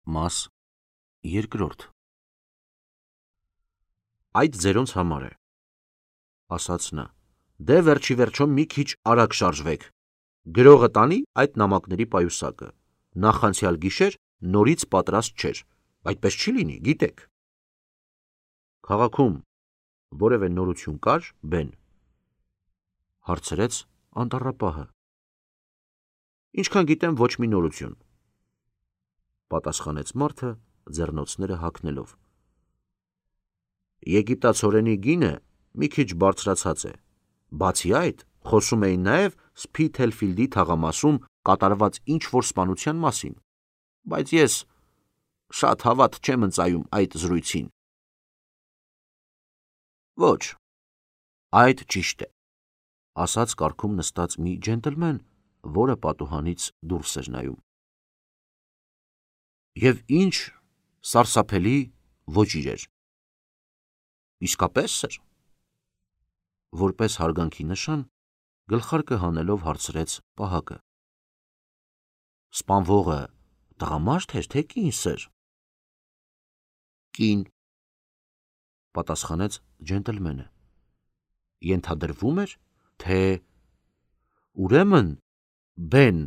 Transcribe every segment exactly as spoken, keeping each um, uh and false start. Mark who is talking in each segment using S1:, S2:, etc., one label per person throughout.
S1: Մաս երկրորդ Այդ ձերոնց համար է, ասաց նա, դե վերջի վերջո մի քիչ արագ շարժվեք, գրողը տանի այդ նամակների պայուսակը, նախանցյալ գիշեր նորից պատրաստ չէր, այդպես չի լինի, գիտեք։ Քաղաքում որևէ նորություն կար, Բեն, հարցրեց անտառապահը։ Ինչքան գիտեմ, ոչ մի նորություն, պատասխանեց մարդը, ձեռնոցները հագնելով։ Եգիպտացորենի գինը մի քիչ բարձրացած է, բացի այդ, խոսում էին նաև Սփիթելֆիլդի թաղամասում կատարված ինչ-որ սպանության մասին, բայց ես շատ հավատ չեմ ընծայում այդ զրույցին։ Ոչ, այդ ճիշտ է, ասաց կառքում նստած մի ջենտլմեն, որը պատուհանից դուրս էր նայում։ Եվ ինչ սարսափելի ոճիր էր։ Իսկապես, սըր, որպես հարգանքի նշան, գլխարկը հանելով հարցրեց պահակը։ Սպանվողը տղամարդ էր, թե կին, սըր։ Կին, պատասխանեց ջենտլմենը։ Ենթադրվում էր, թե ուրեմն, Բեն,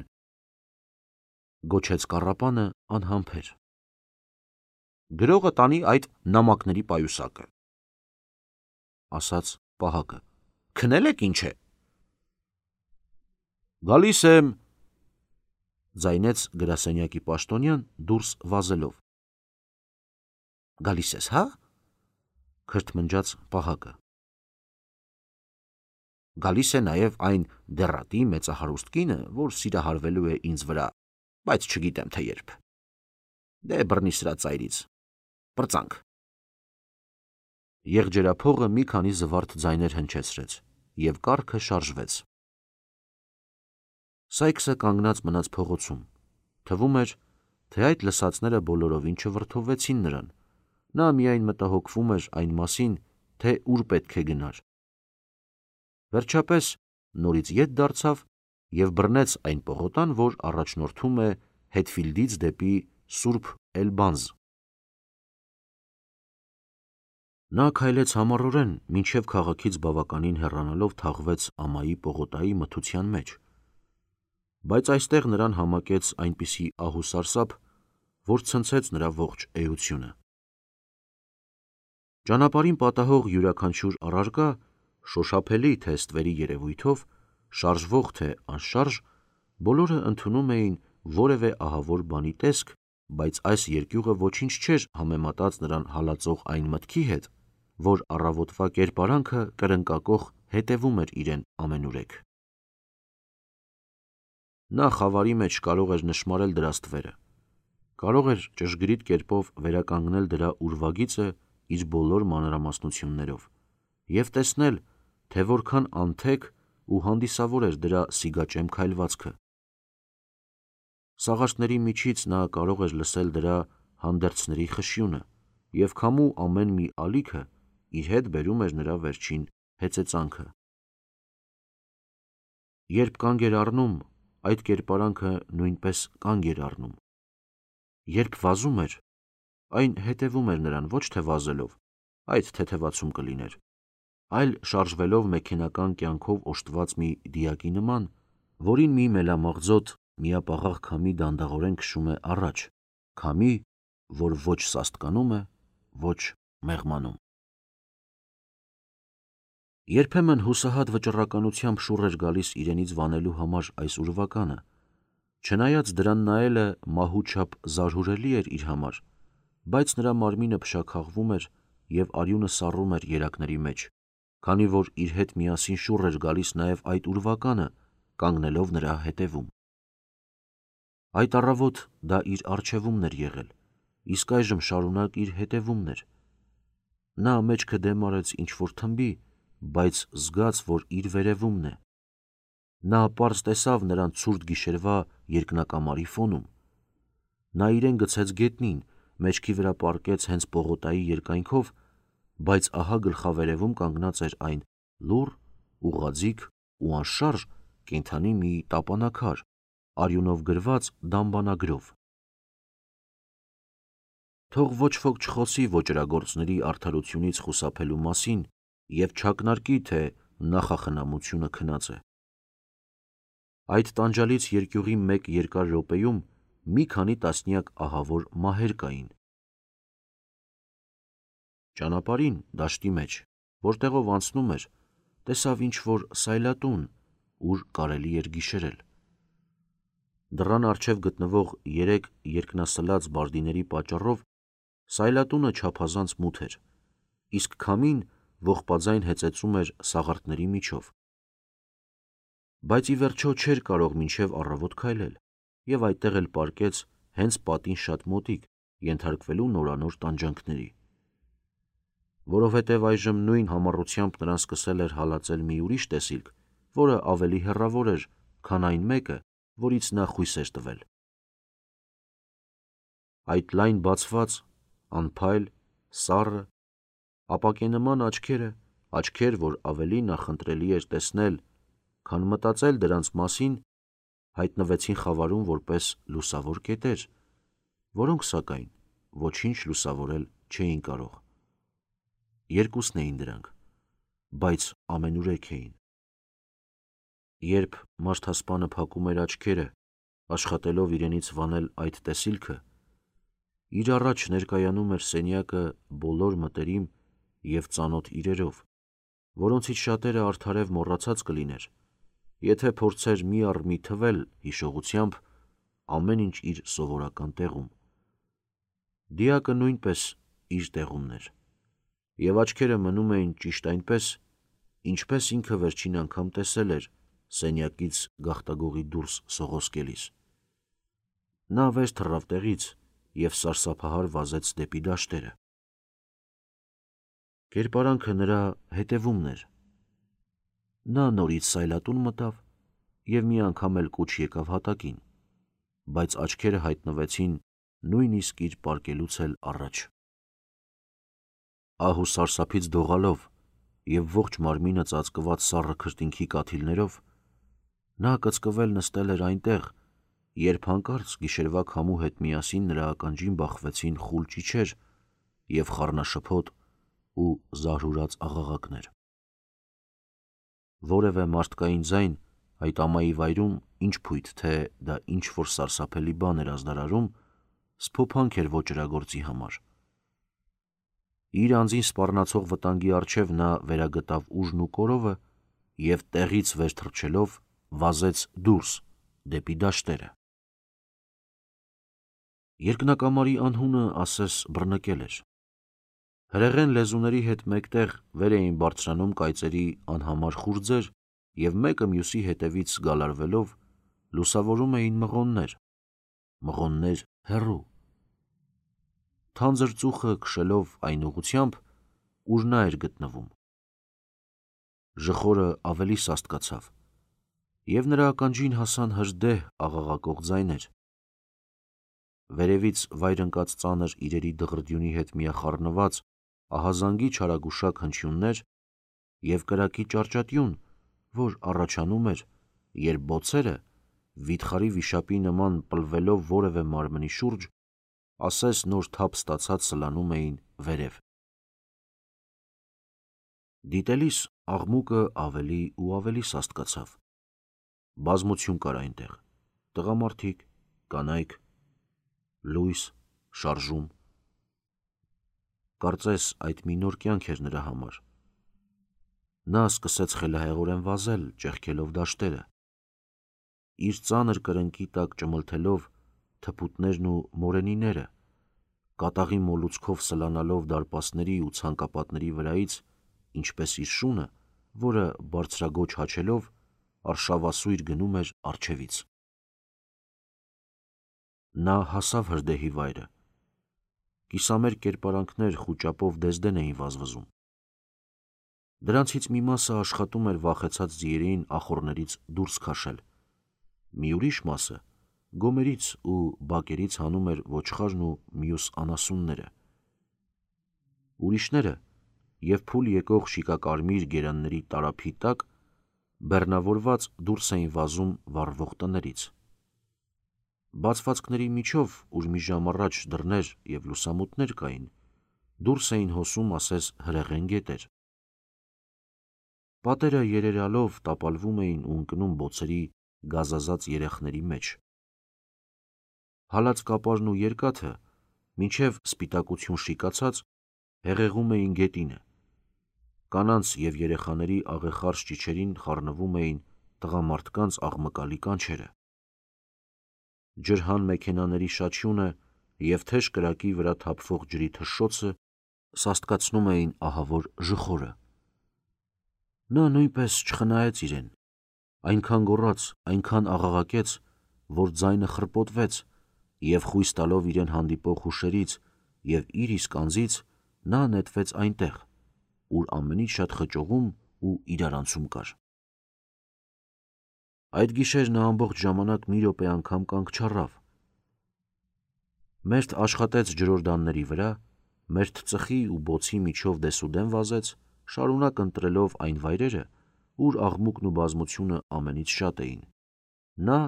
S1: գոչեց կառապանը անհամբեր։ Գրողը տանի այդ նամակների պայուսակը, ասաց պահակը։ Քնել եք ինչ է։ Գալիս եմ, ձայնեց գրասենյակի պաշտոնյան դուրս վազելով։ Գալիս ես, հա, քրթմնջաց պահակը։ Գալիս է նաև այն դեռատի մեծահարուստ կինը, որ սիրահարվելու է ինձ վրա, բայց չգիտեմ, թե երբ։ Դե բռնի սրա ծայրից, պրծանք։ Եղջերափողը մի քանի զվարթ ձայներ հնչեցրեց, և կառքը շարժվեց։ Սայքսը կանգնած մնաց փողոցում, թվում էր, թե այդ լսածները բոլորովին չվրդովվեցին նրան, նա միայն մտահոգվում էր այն մասին, թե ուր պետք է գնար։ Վերջապես նորից ետ դարձավ և բռնեց այն պողոտան, որ առաջնորդում է Հետֆիլդից դեպի Սուրբ Էլբանզ։ Նա քայլեց համառորեն, մինչև քաղաքից բավականին հեռանալով թաղվեց ամայի պողոտայի մթության մեջ, բայց այստեղ նրան համակեց այնպիսի ահուսարսափ, որ ցնցեց նրա ողջ էությունը։ Ճանապարհին պատահող յուրաքանչյուր առարկա, շոշափելի թե ստվերի երևույթով, շարժվող թե անշարժ, բոլորը ընդունում էին որևէ ահավոր բանի տեսք, բայց այս երկյուղը ոչինչ չէր համեմատած նրան հալածող այն մտքի հետ, որ առավոտվա կերպարանքը կրնկակոխ հետևում էր իրեն ամենուրեք։ Նա խավարի մեջ կարող էր նշմարել դրա ստվերը, կարող էր ճշգրիտ կերպով վերականգնել դրա ուրվագիծը իր բոլոր մանրամասնություններով և տեսնել, թե որքան անթեք ու հանդիսավոր էր դրա սիգաճեմ քայլվածքը։ Սաղարթների միջից նա կարող էր լսել դրա հանդերձների խշյունը, և քամու ամեն մի ալիքը իր հետ բերում էր նրա վերջին հեծեծանքը։ Երբ կանգ էր առնում, այդ կերպարանքը նույնպես կանգ էր առնում։ Երբ վազում էր, այն հետևում էր նրան ոչ թե վազելով, այդ թեթևացում կլիներ, այլ շարժվելով մեքենական կյանքով օժտված մի դիակի նման, որին մի մելամաղձոտ միապաղաղ քամի դանդաղորեն քշում է առաջ, քամի, որ ոչ սաստկանում է, ոչ մեղմանում։ Երբեմն հուսահատ վճռականությամբ շուռ էր գալիս իրենից վանելու համար այս ուրվականը, չնայած դրան նայելը մահու չափ զարհուրելի էր իր համար, բայց նրա մարմինը փշաքաղվում էր և արյունը սառում էր երակների մեջ, քանի որ իր հետ միասին շուռ էր գալիս նաև այդ ուրվականը, կանգնելով նրա հետևում։ Այդ առավոտ դա իր առջևումն էր եղել, իսկ այժմ շարունակ իր հետևումն էր։ Նա մեջքը դեմ արեց ինչ-որ թմբի, բայց զգաց, որ իր վերևումն է։ Նա պարզ տեսավ նրան ցուրտ գիշերվա երկնակամարի ֆոնում։ Նա իրեն գցեց գետնին, մեջքի վրա պառկեց հենց պողոտայի երկայնքով, բայց ահա գլխավերևում կանգնած էր այն լուռ, ուղղաձիգ ու անշարժ կենդանի մի տապանաքար, արյունով գրված դամբանագրով։ Թող ոչ ոք չխոսի ոճրագործների արդարությունից խուսափելու մասին և չակնարկի, թե նախախնամությունը քնած է։ Այդ տանջալից երկյուղի մեկ երկար րոպեում մի քանի տասնյակ ահավոր մահեր կային։ Ճանապարհին, դաշտի մեջ, որտեղով անցնում էր, տեսավ ինչ-որ սայլատուն, ուր կարելի էր գիշերել։ Դռան առջև գտնվող երեք երկնասլաց բարդիների պատճառով սայլատունը չափազանց մութ էր, իսկ քամին ողբաձայն հեծեծում էր սաղարթների միջով։ Բայց ի վերջո չէր կարող մինչև առավոտ քայլել և այդտեղ էլ պառկեց հենց պատին շատ մոտիկ, ենթարկվելու նորանոր տանջանքների։ Որովհետև այժմ նույն համառությամբ նրան սկսել էր հալածել մի ուրիշ տեսիլք, որը ավելի հեռավոր էր, քան այն մեկը, որից նա խույս էր տվել։ Այդ լայն բացված, անփայլ, սառը, ապակենման աչքերը, աչքեր, որ ավելի նախընտրելի էր տեսնել, քան մտածել դրանց մասին, հայտնվեցին խավարում որպես լուսավոր կետեր, որոնք, սակայն, ոչինչ լուսավորել չէին կարող։ Երկուսն էին դրանք, բայց ամենուրեք էին։ Երբ մարդասպանը փակում էր աչքերը, աշխատելով իրենից վանել այդ տեսիլքը, իր առաջ ներկայանում էր սենյակը բոլոր մտերիմ և ծանոթ իրերով, որոնցից շատերը արդարև մոռացած կլիներ, եթե փորձեր մի առ մի թվել հիշողությամբ ամեն ինչ իր սովորական տեղում։ Դիակը նույնպես իր տեղումն էր, և աչքերը մնում էին ճիշտ այնպես, ինչպես ինքը վերջին անգամ տեսել էր սենյակից գաղտագողի դուրս սողոսկելիս։ Նա վեր թռավ տեղից և սարսափահար վազեց դեպի դաշտերը։ Կերպարանքը նրա հետևումն էր։ Նա նորից սայլատուն մտավ և մի անգամ էլ կուչ եկավ հատակին, բայց աչքերը հայտնվեցին նույնիսկ իր պառկելուց էլ առաջ։ Ահ ու սարսափից դողալով և ողջ մարմինը ծածկված սառը քրտինքի կաթիլներով, նա կծկվել նստել էր այնտեղ, երբ հանկարծ գիշերվա քամու հետ միասին նրա ականջին բախվեցին խուլ ճիչեր և խառնաշփոթ ու զարհուրած աղաղակներ։ Որևէ մարդկային ձայն այդ ամայի վայրում, ինչ փույթ, թե դա ինչ-որ սարսափելի բան էր ազդարարում, սփոփանք էր ոճրագործի համար։ Իր անձին սպառնացող վտանգի առջև նա վերագտավ ուժն ու կորովը և տեղից վեր թռչելով վազեց դուրս դեպի դաշտերը։ Երկնակամարի անհունը ասես բռնկել էր։ Հրեղեն լեզուների հետ մեկտեղ վեր էին բարձրանում կայծերի անհամար խուրձեր և մեկը մյուսի հետևից գալարվելով լուսավորում էին մղոններ, մղոններ հեռու։ Թանձր ծուխը քշելով այն ուղղությամբ, ուր նա էր գտնվում։ Ժխորը ավելի սաստկացավ, և նրա ականջին հասան հրդեհ աղաղակող ձայներ։ Վերևից վայր ընկած ծանր իրերի դղրդյունի հետ միախառնված ահազանգի չարագուշակ հնչյուններ և կրակի ճառճատյուն, որ առաջանում էր, երբ բոցերը, վիթխարի վիշապի նման պլվելով որևէ մարմնի շուրջ, ասես նոր թափ ստացած սլանում էին վերև։ Դիտելիս աղմուկը ավելի ու ավելի սաստկացավ։ Բազմություն կար այնտեղ. տղամարդիկ, կանայք, լույս, շարժում։ Կարծես այդ մի նոր կյանք էր նրա համար։ Նա սկսեց խելահեղորեն վազել, ճեղքելով դաշտերը։ Իր ծանր կրնկի տակ ճմլթելով թփուտներն ու մորենիները, կատաղի մոլուցքով սլանալով դարպասների ու ցանկապատների վրայից, ինչպես իր շունը, որը բարձրաձոչ հաչելով արշավասույր գնում էր առջևից։ Նա հասավ հրդեհի վայրը։ Կիսամերկ կերպարանքներ խուճապով դեզդեն էին վազվզում։ Դրանցից մի մասը աշխատում էր վախեցած ձիերին ախոռներից դուրս քաշել, մի ուրիշ մասը գոմերից ու բակերից հանում էր ոչխարն ու մյուս անասունները։ Ուրիշները և փուլ եկող շիկակարմիր գերանների տարափի տակ բեռնավորված դուրս էին վազում վառվող տներից։ Բացվածքների միջով, ուր մի ժամ առաջ դռներ և լուսամուտներ կային, դուրս էին հոսում ասես հրեղեն գետեր։ Պատերը երերալով տապալվում էին ու ընկնում բոցերի գազազած երեխների մեջ։ Հալած կապարն ու երկաթը, մինչև սպիտակություն շիկացած, հեղեղում էին գետինը։ Կանանց և երեխաների աղեխարս ճիչերին խառնվում էին տղամարդկանց աղմկալի կանչերը։ Ջրհան մեքենաների շաչյունը և թեժ կրակի վրա թափվող ջրի թշշոցը սաստկացնում էին ահավոր ժխորը։ Նա նույնպես չխնայեց իրեն, այնքան գոռաց, այնքան աղաղակեց, որ ձայնը խրպոտվեց, և խույս տալով իրեն հանդիպող հուշերից և իր իսկ անձից, նա նետվեց այնտեղ, ուր ամենից շատ խճողում ու իրարանցում կար։ Այդ գիշեր նա ամբողջ ժամանակ մի րոպե անգամ կանգ չառավ։ Մերթ աշխատեց ջրօրդանների վրա, մերթ ծխի ու բոցի միջով դեսուդեն վազեց, շարունակ ընտրելով այն վայրերը, ուր աղմուկն ու բազմությունը ամենից շատ էին։ Նա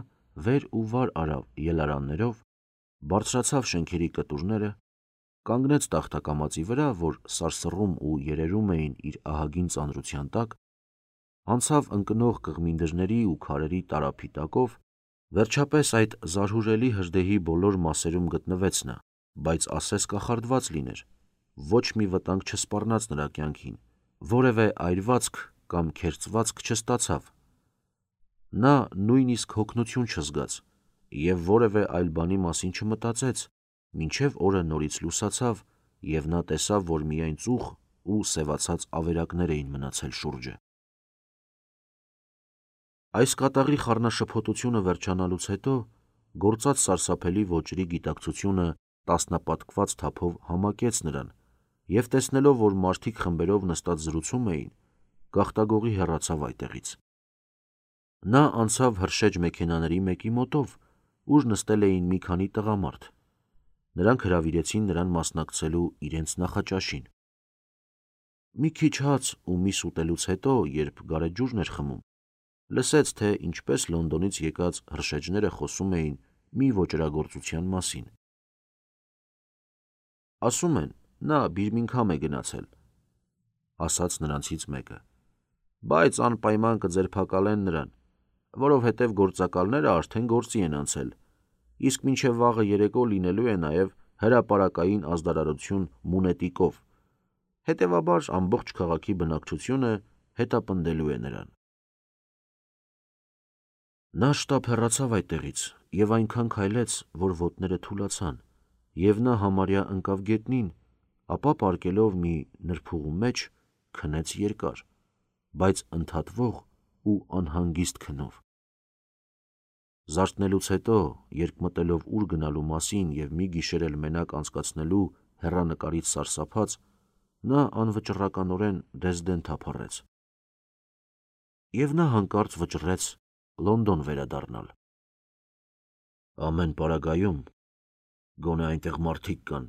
S1: վեր ու վար արավ ելարաններով, բարձրացավ շենքերի կտուրները, կանգնեց տախտակամածի վրա, որ սարսռում ու երերում էին իր ահագին ծանրության տակ, անցավ ընկնող կղմինդրների ու քարերի տարափի տակով, վերջապես այդ զարհուրելի հրդեհի բոլոր մասերում գտնվեց նա, բայց ասես կախարդված լիներ, ոչ մի վտանգ չսպառնաց նրա կյանքին, որևէ այրվածք կամ քերծվածք չստացավ։ Նա նույնիսկ հոգնություն չզգաց և որևէ այլ բանի մասին չմտածեց, մինչև օրը նորից լուսացավ, և նա տեսավ, որ միայն ծուխ ու սևացած ավերակներ էին մնացել շուրջը։ Այս կատաղի խառնաշփոթությունը վերջանալուց հետո, գործած սարսափելի ոճրի գիտակցությունը տասնապատկված թափով համակեց նրան, և տեսնելով, որ մարդիկ խմբերով նստած զրուցում էին, գաղտագողի հեռացավ այդտեղից։ Նա անցավ հրշեջ մեքենաների մեկի մոտով, ուր նստել էին մի քանի տղամարդ։ Նրանք հրավիրեցին նրան մասնակցելու իրենց նախաճաշին։ Մի քիչ հաց ու միս ուտելուց հետո, երբ գարեջուրն էր խմում, լսեց, թե ինչպես Լոնդոնից եկած հրշեջները խոսում էին մի ոճրագործության մասին։ «Ասում են, նա Բիրմինգհամ է գնացել», – ասաց նրանցից մեկը, «բայց անպայման կձերբակալեն նրան, որովհետև գործակալները արդեն գործի են անցել, իսկ մինչև վաղը երեկո լինելու է նաև հրապարակային ազդարարություն Մունետիկով, հետևաբար ամբողջ քաղաքի բնակչությունը հետապնդելու է նրան»։ Նա շտապ հեռացավ այդտեղից և այնքան քայլեց, որ ոտները թուլացան, և նա համարյա ընկավ գետնին, ապա պառկելով մի նրբուղու մեջ, քնեց երկար, բայց ընդհատվող ու անհանգիստ քնով։ Զարթնելուց հետո, երկմտելով ուր գնալու մասին և մի գիշեր էլ մենակ անցկացնելու հեռանկարից սարսափած, նա անվճռականորեն Դեսդեն թափառեց։ Եվ նա հանկարծ վճռեց Լոնդոն վերադառնալ։ Ամեն պարագայում գոնե այնտեղ մարդիկ կան,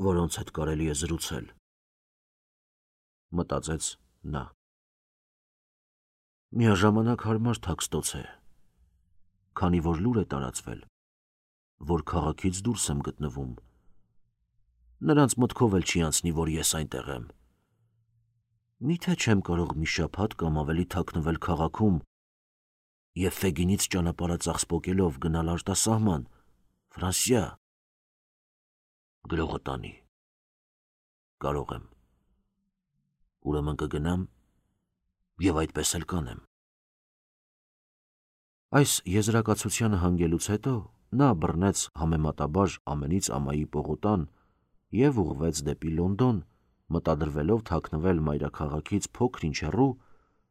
S1: որոնց հետ կարելի է զրուցել, մտածեց նա։ Միաժամանակ հարմար թաքստոց է, քանի որ լուր է տարածվել, որ քաղաքից դուրս եմ գտնվում, նրանց մտքով էլ չի անցնի, որ ես այնտեղ եմ։ Միթե չեմ կարող մի շաբաթ կամ ավելի թաքնվել քաղաքում և Ֆեգինից ճանապարհածախսպոկելով գնալ արտասահման, Ֆրանսիա։ Գրողը տանի։ Կարող եմ։ Ուրեմն կգնամ և այդպես էլ կանեմ։ Այս եզրակացությանը հանգելուց հետո նա բռնեց համեմատաբար ամենից ամայի պողոտան և ուղղվեց դեպի Լոնդոն, մտադրվելով թաքնվել մայրաքաղաքից փոքր-ինչ հեռու,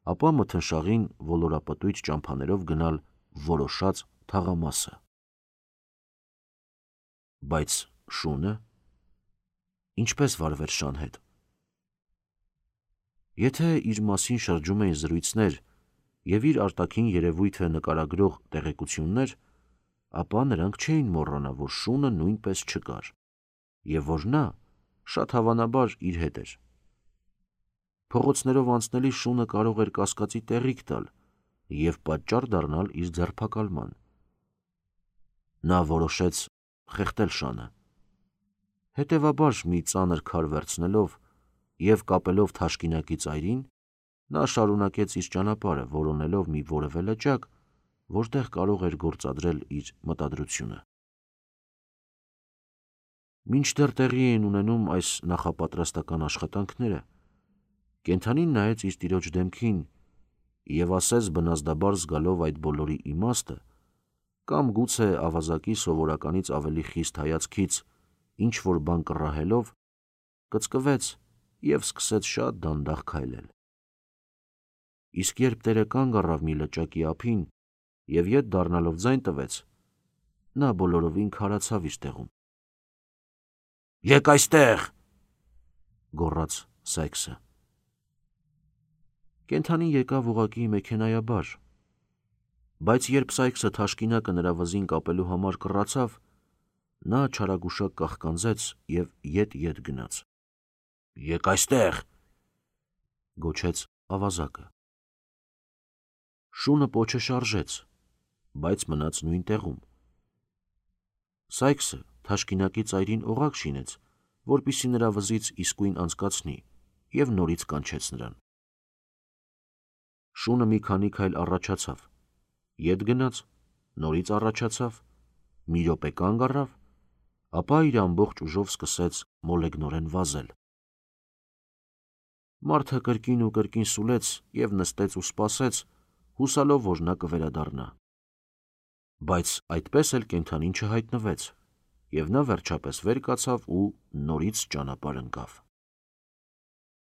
S1: ապա մթնշաղին ոլորապտույտ ճամփաներով գնալ որոշած թաղամասը։ Բայց շունը ինչպե՞ս վարվեր շան հետ։ Եթե իր մասին շրջում էին զրույցներ և իր արտաքին երևույթը նկարագրող տեղեկություններ, ապա նրանք չէին մոռանա, որ շունը նույնպես չկար, և որ նա, շատ հավանաբար, իր հետ էր։ Փողոցներով անցնելիս շունը կարող էր կասկածի տեղիք տալ և պատճառ դառնալ իր ձերբակալման։ Նա որոշեց խեղդել շանը։ Հետևաբար մի ծանր քար վերցնելով և կապելով թաշկինակի ծայրին, նա շարունակեց իր ճանապարհը, որոնելով մի որևէ լճակ, որտեղ կարող էր գործադրել իր մտադրությունը։ Մինչդեռ տեղի էին ունենում այս նախապատրաստական աշխատանքները, կենդանին նայեց իր տիրոջ դեմքին և ասեց բնազդաբար զգալով այդ բոլորի իմաստը, կամ գուցե ավազակի սովորականից ավելի խիստ հայացքից ինչ-որ բան կռահելով, կծկվեց և սկսեց շատ դանդաղ քայլել։ Իսկ երբ տերը կանգ առավ մի լճակի ափին և ետ դառնալով ձայն տվեց, նա բոլորովին քարացավ իր տեղում։ «Եկ այստեղ», գոռաց Սայքսը։ Կենդանին եկավ ուղղակի մեքենայաբար, բայց երբ Սայքսը թաշկինակը նրա վզին կապելու համար կռացավ, նա չարագուշակ կաղկանձեց և ետ-ետ գնաց։ «Եկ այստեղ», գոչեց ավազակը։ Շունը պոչը շարժեց, բայց մնաց նույն տեղում։ Սայքսը թաշկինակի ծայրին օղակ շինեց, որպեսզի նրա վզից իսկույն անցկացնի, և նորից կանչեց նրան։ Շունը մի քանի քայլ առաջացավ, ետ գնաց, նորից առաջացավ, մի րոպե կանգ առավ, ապա իր ամբողջ ուժով սկսեց մոլեգնորեն վազել։ Մարդը կրկին ու կրկին սուլեց և նստեց ու սպասեց, հուսալով, որ նա կվերադառնա։ Բայց այդպես էլ կենդանին չհայտնվեց, և նա վերջապես վեր կացավ ու նորից ճանապարհ ընկավ։